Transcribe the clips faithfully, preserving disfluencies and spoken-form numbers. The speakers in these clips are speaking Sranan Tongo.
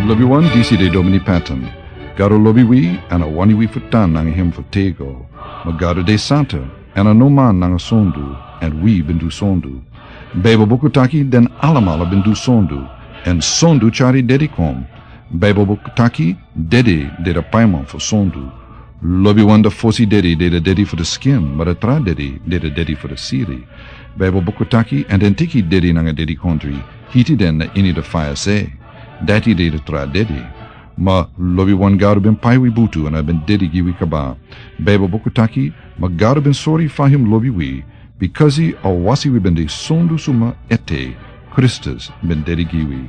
Lobiwan, disi de Domini Patton. Gado lobi wi, èn a wani wi fu tan nanga hem fu tego. Ma Gado de santa, èn a no man nanga sondu, èn wi ben du sondu. Baibel buku taki den alamala ben du sondu, èn sondu tyari dedi kon. Baibel buku taki dedi de da paiman fu sondu. Lobiwan, da fosi dedi de da dedi fu da skin, ma da tra dedi de da dedi fu da siri. Baibel buku taki, èn den teki dedi nanga dedikondri, hiti den na ini da faya se. Dati de da tra dedi. Ma lobiwan, Gado ben pai wi butu èn a ben dedi gi wi kaba. Baibel buku taki, ma Gado ben sori fa hem lobi wi, bikasi a wasi wi ben de sondu suma ete, Kristus ben dedi gi wi.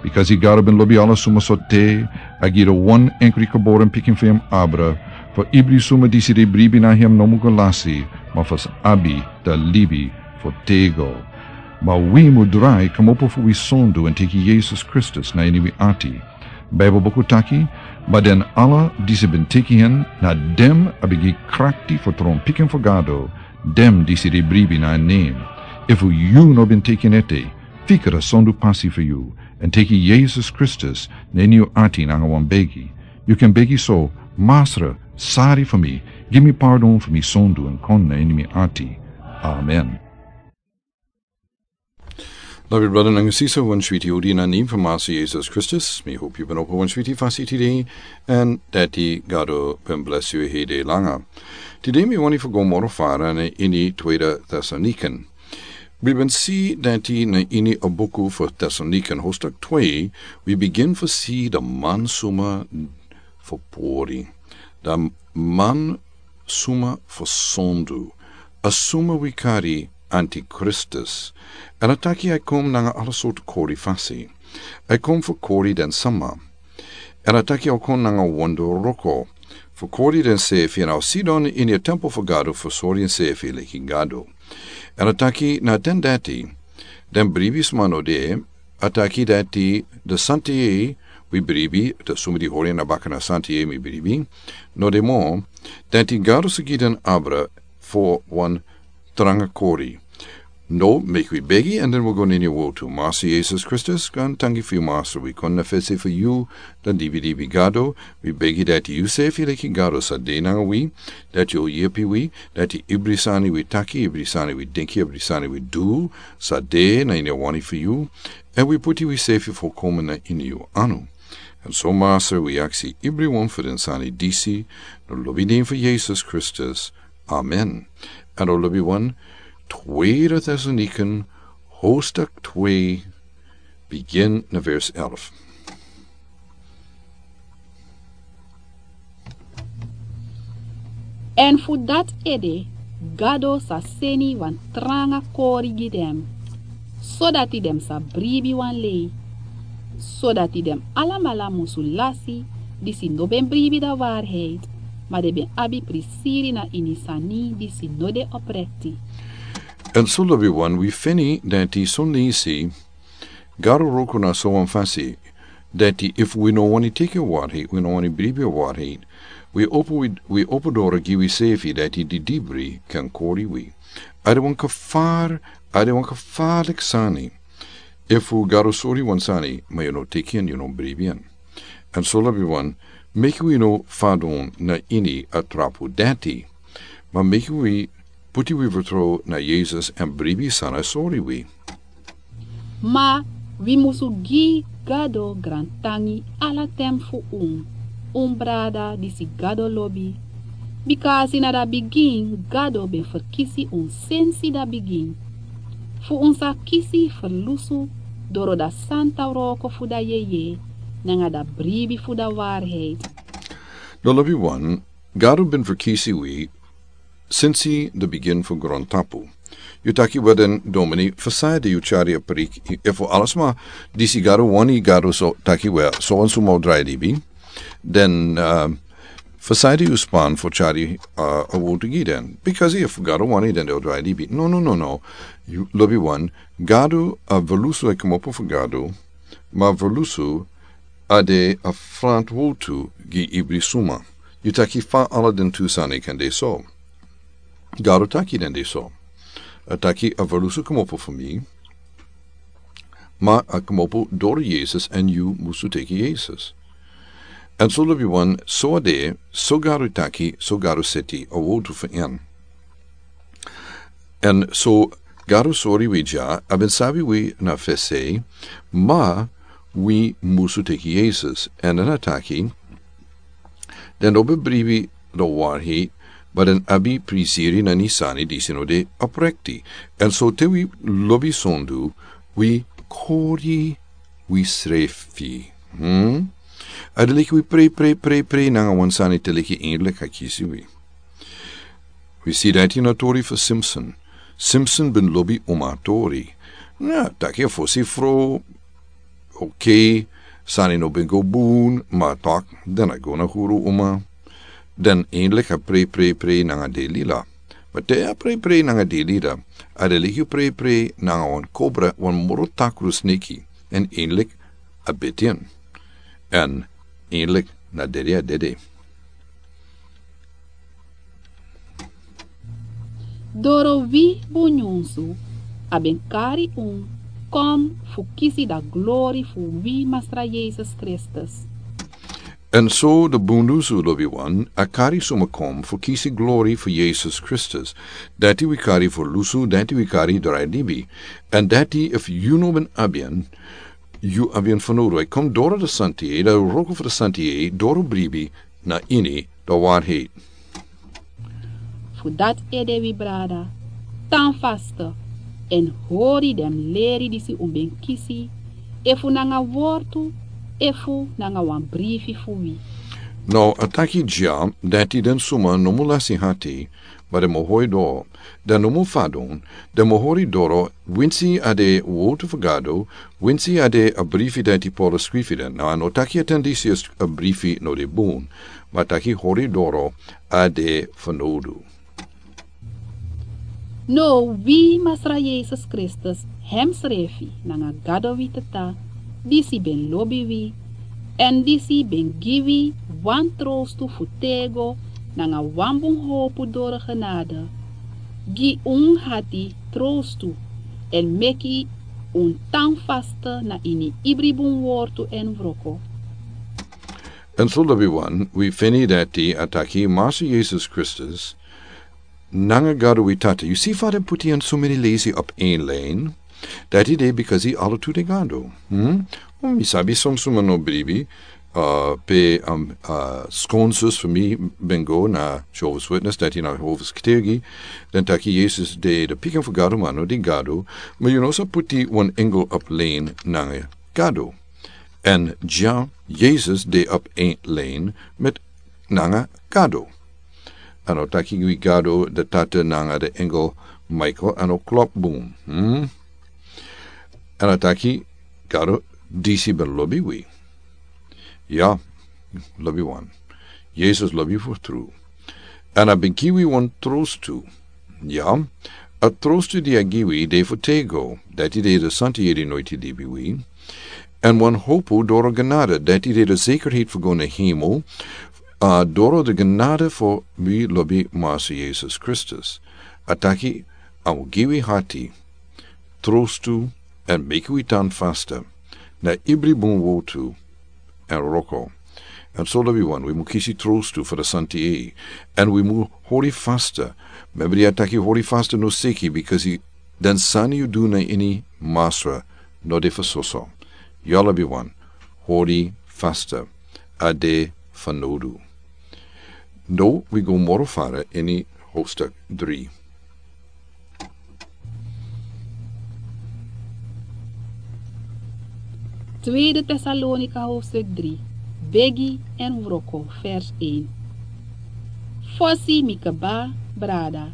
Bikasi Gado ben lobi ala suma sortu, a gi da wan enkri geboren pikin fu hem abra, fu ibri suma disi de bribi na hem no mu go lasi, ma fu sa abi da libi fu tego. Ma wi mu drai kmopo fu wi sondu èn teki Yesus Kristus na ini wi ati. Baibel buku taki, ma den ala disi ben teki hen, na den a ben gi krakti fu tron pikin fu Gado, den disi de bribi na en nen. Efu yu no ben teki en ete, fika da sondu pasi fu yu, èn teki Yesus Kristus na ini yu ati nanga wan begi. Yu kan begi so: Masra, sari fu mi, gi mi pardon fu mi sondu èn kon na ini mi ati. Amen. Lobi brada nanga sisa, wan switi odi na nen fu Masra Yesus Kristus. Mi hopi yu ben opo wan switi fasi tide, èn dati Gado ben blesi yu hede langa. Tide mi wani fu go moro fara na ini Tweede Tesalonikan. Wi ben si dati na ini a buku fu Tesalonikan, hostak twe, wi bigin fu si da man suma fu pori. Da man suma fu sondu, a suma wi kari Antikristus. Èn a taki a e kon nanga ala sortu kori fasi. A e kon fu kori den sama. Èn a taki a o kon nanga wonderwroko fu kori densefi, èn a o sidon ini a temple fu Gado fu sori ensefi leki Gado. Èn a taki na den dati, den bribi sma no de, a taki dati da santa yeye wi bribi, da suma di hori na baka na santa yeye mi bribi, no de mo, dati Gado sa gi den abra fu wan tranga kori. No, meki wi begi, èn den wi go na ini a wortu. Masra Yesus Kristus, gaantangi fu yu, Masra, wi kon na fesi fu yu, da dibi dibi Gado, wi begi dati yusefi leki Gado sa de nanga wi, dati yu o yepi wi, dati ibri sani wi taki, ibri sani wi denki, ibri sani wi du, sa de na ini a wani fu yu, èn wi puti wisefi folkomen na ini yu anu. Èn so Masra, wi aksi ibriwan fu den sani disi, na lobi nen fu Yesus Kristus. Amen. Èn o lobiwan, Tweede Tesalonikan, hostak twe, bigin na vers elf. Èn fu dati ede, Gado sa seni wan tranga kori gi den, sodati den sa bribi wan lei, sodati den alamala musu lasi, disi no ben bribi da waarheid, ma den ben abi prisiri na ini sani disi no de oprekti. Èn so lobiwan, wi feni dati son leisi Gado wroko na so wan fasi, dati efu wi no wani teki a waarheid, wi no wani bribi a waarheid, wi opo, wi, wi opo doro gi wisefi, dati didibri kan kori wi. A de wan kafar, a de wan kafarliki sani. Efu Gado sori wan sani, ma yu no teki en, yu no bribi en. Èn so lobiwan, meki wi no fadon na ini a trapu dati, ma meki wi puti wi fertrow na Yesus èn bribi san a sori wi. Ma wi musu gi Gado grantangi ala ten fu un, un brada disi Gado lobi. Bikasi na da bigin Gado ben ferkisi un sensi da bigin, fu un sa kisi ferlusu doro da santa wroko fu da yeye, nanga da bribi fu da waarheid. Da lobiwan, Gado ben ferkisi wi sensi da bigin fu grontapu. Yu taki: "Wel, den domini, fu san ede yu tyari a preek, efu ala sma disi Gado wani, Gado so taki, wel, so wan suma o drai libi." Den, eh, fu san ede yu span fu tyari, eh, a wortu gi den? Bikasi efu Gado wani, den den o drai libi. No, no, no, no. Yu, lobiwan, Gado, a ferlusu e kmopo fu Gado, ma ferlusu a de a frantwortu gi ibri suma. Yu taki: "Fa ala den tu sani kan de so?" Gado taki den de so. A taki a ferlusu kmopo fu mi, Ma a kmopo doro Yesus èn yu musu teki Yesus. Èn so lobi wan, so a de, so Gado taki, so Gado seti a wowtu fu en. Èn so Gado sori wi dya, a ben sabi wi na fesi, ma wi musu teki Yesus. Èn den a taki, den no ben bribi di warhei, ma den abi prisiri na ini sani disi no de oprekti. Èn so te wi lobi sondu, wi kori wi srefi. Hmm? A de leki wi prei, prei, prei, prei nanga wan sani te leki eindelijk a kisi wi. Wi si dati na tori fu Simpson. Simpson ben lobi uma tori. Na, taki a fosi fro, oké, sani no ben go bun, ma tok, den a go na huru uma. Den eindelijk a prei, prei, prei nanga Delila. Ma te a prei, prei nanga Delila, a de leki prei, prei nanga wan kobra, wan moro takru sneki. Èn eindelijk a beti en. Èn eindelijk na dede a dede. Doro wi bun nyunsu, a ben kari un kon fu kisi da glori fu wi Masra Yesus Kristus. Èn so de bun lusu lobi wan, a kari suma kon fu kisi glori fu Yesus Kristus. Dati wi kari fu lusu, dati wi kari drai libi. Èn dati efu yu no ben abi en, yu abi en fanowdu. A kon doro de santi, da wroko fu de santi, doro bribi, na ini, da warhei. Fu dati ede wi brada, tan faste, èn hori den leri disi un ben kisi, efu nanga wortu, efu nanga wan brifi fu wi. Now, a taki dya, dati den suma no mu lasi hati, ma den mu hori doro, den no mu fadon, den mu hori doro, winsi a de wowtu fu Gado, winsi a de a brifi dati Paulus skrifi den. Now, a no taki a ten disi a brifi no de bun, ma a taki hori doro, a de fanowdu. Now, wi Masra Yesus Kristus, hemsrefi, nanga Gado wi Tata, disi ben lobi wi, èn disi ben gi wi wan trostu fu tego, nanga wan bun howpu doro genade, gi un hati trostu, èn meki un tan faste na ini ibri bun wortu èn wroko. Èn so lobi wan, wi feni dati a taki Masra Yesus Kristus, nanga Gado wi Tata. Yu si fa den puti en so many lesi op een lijn. Dati de because ala tu de Gado. Hmm? O, mi sabi son suma no bribi, uh, pe, um, uh, skonsus fu mi ben go na Jehovah's Witness, dati na Jehovah's Getuigi. Den taki Yesus de de pikin fu Gado, ma no de Gado. Ma yu no sa puti wan engel op lijn nanga Gado. Èn dya, Yesus de op een lijn met nanga Gado. A no taki wi Gado de Tata nanga de engel Michael, a no klop bun. Hmm? Èn a taki Gado disi ben lobi wi. Ya, lobi wan. Yesus lobi fu tru. Èn a ben gi wi wan trostu. Ya, a trostu di a gi wi de fu tego, dati de de santi yeri noiti libi wi. Èn wan howpu doro genade, dati de de zekerheid fu go na hemel, a doro de genade fu wi lobi Masra Yesus Kristus. A taki, a mu gi wi hati, trostu, èn meki wi tan faste, na ibri bun wowtu, èn wroko. Èn so lobi wan, wi mu kisi trostu fu de santi yeri, èn wi mu hori faste. Membri a taki hori faste no seki, because den sani yu du na ini Masra, no de fu soso. Ya lobi wan, hori faste, a de fanowdu. Now wi go moro fara ini hoofdstuk drie. Tweede Tesalonika hoofdstuk drie, begi èn wroko, vers een. Fosi mi kaba, brada,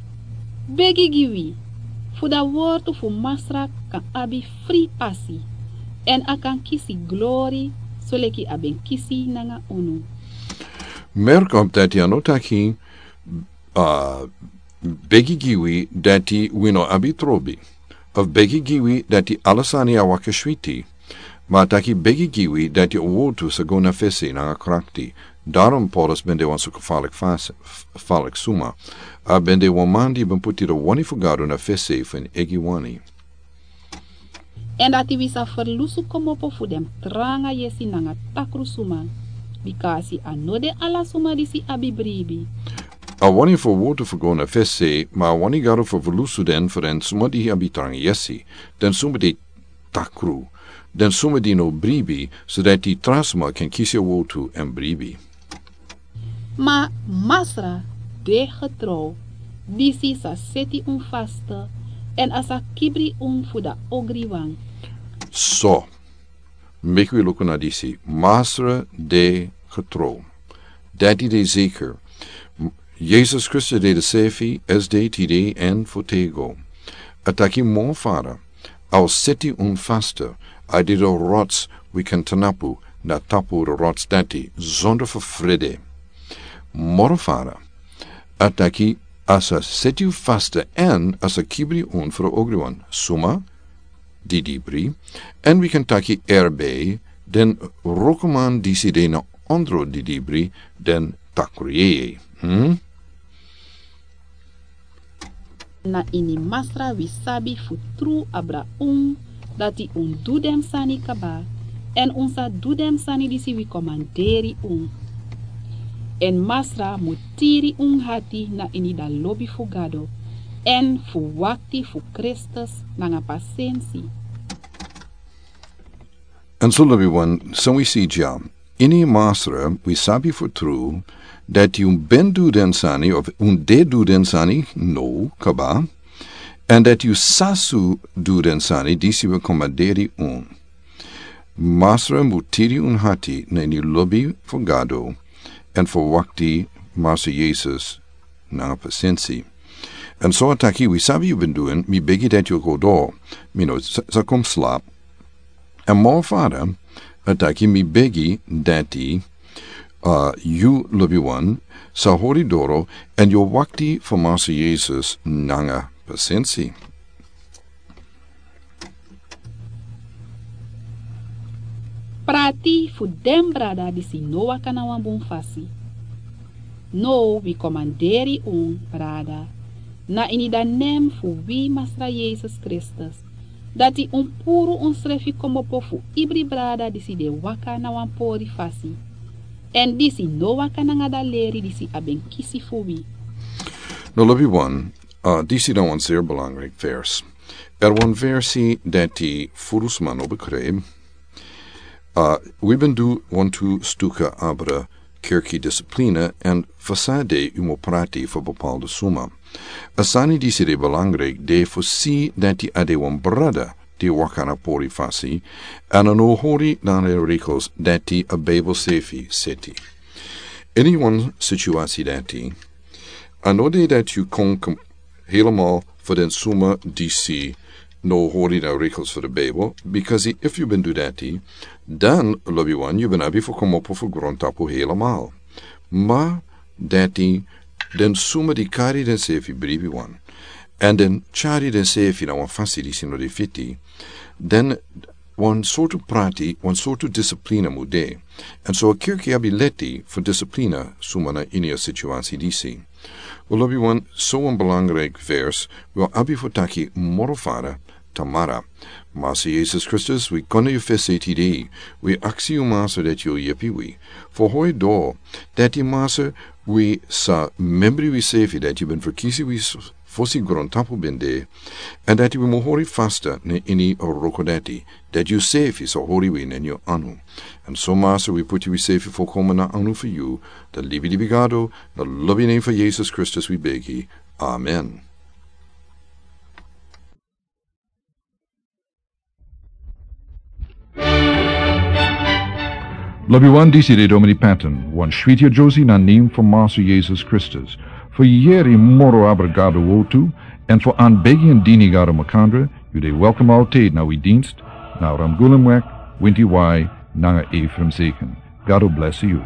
begi gi wi, fu da wortu fu Masra kan abi fri pasi, èn a kan kisi glori, soleki a ben kisi nanga unu. Merk op dati a no taki, uh, begi gi wi dati wi no abi trobi. Of begi gi wi dati ala sani a waka switi. Ma a taki begi gi wi dati a wowtu sa go na fesi nanga krakti. Daarom Paulus ben de wan so gefalik fas-, f-, falik suma. A ben de wan man di ben puti de wani fu Gado na fesi fu en egi wani. Èn dati wi sa ferlusu kmopo fu den tranga yesi nanga takru suma, bika a si a no de ala suma disi abi bribi. A wani fu a wortu fu go na fesi, ma a wani Gado fu ferlusu den fu den suma di abi tranga yesi, den suma di takru, den suma di no bribi, sodati tra suma kan kisi a wortu èn bribi. Ma Masra de getrouw, disi sa seti un faste, èn a sa kibri un fu den ogriwan. So, meki wi luku na disi. Masra de getrouw. Dati de zeker. Yesus Kristus de dezelfde, esde, tide èn fu têgo. A taki, moro Fada, a o seti un faste, a de den rots wi kan tnapu na tapu den rots dati, zonder fu frede. Moro Fada, a taki, a sa seti un faste èn a sa kibri un fu den ogriwan. Suma di dibri, èn wi kan taki erbe, den wrokoman disi de na ondro di dibri, den takru yeye. Hm? Na ini Masra wi sabi fu tru abra un, dati un du den sani kaba, èn un sa du den sani disi wi komanderi un. Èn Masra mu tiri un hati na ini den lobi fu Gado, èn fu wakti fu Kristus nanga pasensi. Èn so lobiwan, san wi si dya, ini Masra wi sabi fu tru dati un ben du den sani, of un de du den sani now kaba, èn dati un sa su du den sani disi wi komanderi un. Masra mu tiri un hati na ini lobi fu Gado, èn fu wakti Masra Yesus nanga pasensi. Èn so a taki, wi sabi yu ben du en, mi begi dati yu go doro, mi no sa, sa kon slapu. Èn moro Fada, a taki, mi begi dati, uh, yu lobiwan sa hori doro, èn yu wakti fu Masra Yesus nanga pasensi. Prati fu den brada disi no waka na wan bun fasi. Now wi komanderi un, brada, na ini den nen fu wi Masra Yesus Kristus, dati un puru unsrefi kmopo fu ibri brada disi de waka na wan pori fasi, èn disi no waka nanga den leri disi a ben kisi fu wi. No lobiwan, uh, disi na wan zeer belangrijk vers. Er wan versi dati furu sma no begrijp. Uh, wi ben du wantu stuka abra kerki discipline, èn fu san de un mu prati fu bepaalde suma. A sani disi de belangrijk, de fu si dati a de wan brada di waka na pori fasi, èn a no hori na den regels dati a Bijbel sefi seti. Ini wan situasi dati, a no de dati yu kon kom helemaal fu den suma disi no hori na regels fu den Bijbel, because if yu ben du dati, dan lobiwan yu ben abi fu kmopo fu grontapu helemaal. Ma dati den suma di kari densefi bribiwan, èn den tyari densefi na wan fasi disi no de fiti, dan wan sortu prati, wan sortu discipline mu de. Èn so a kerki abi leti fu discipline suma na ini a situasi disi. Wi lobiwan, so wan belangrijk vers wi o abi fu taki moro fara tamara. Masra Yesus Kristus, wi kon na yu fesi tide, wi aksi yu Masra dati yu o yepi wi. Fu hori doro dati Masra, wi sa membri wisefi dati yu ben ferkisi wi s-, fosi grontapu ben de, èn dati wi mu hori fasta na ini a wroko dati, dati yusefi sa hori wi na ini yu anu. Èn so Masra wi puti wisefi folkomen na anu fu yu, den libilibi Gado, na lobi nen fu Yesus Kristus wi begi. Amen. Lobiwan, disi de Domini Patton, wan switi a Josie na nen fu Masra Yesus Kristus. Fu yeri moro abra Gado wortu, èn fu anbegi èn dini Gado makandra, yu de welkom altijd na wi dienst, na Ramgulemweg, Winti Wai, nanga Ephraim Zeken. Gado blesi yu.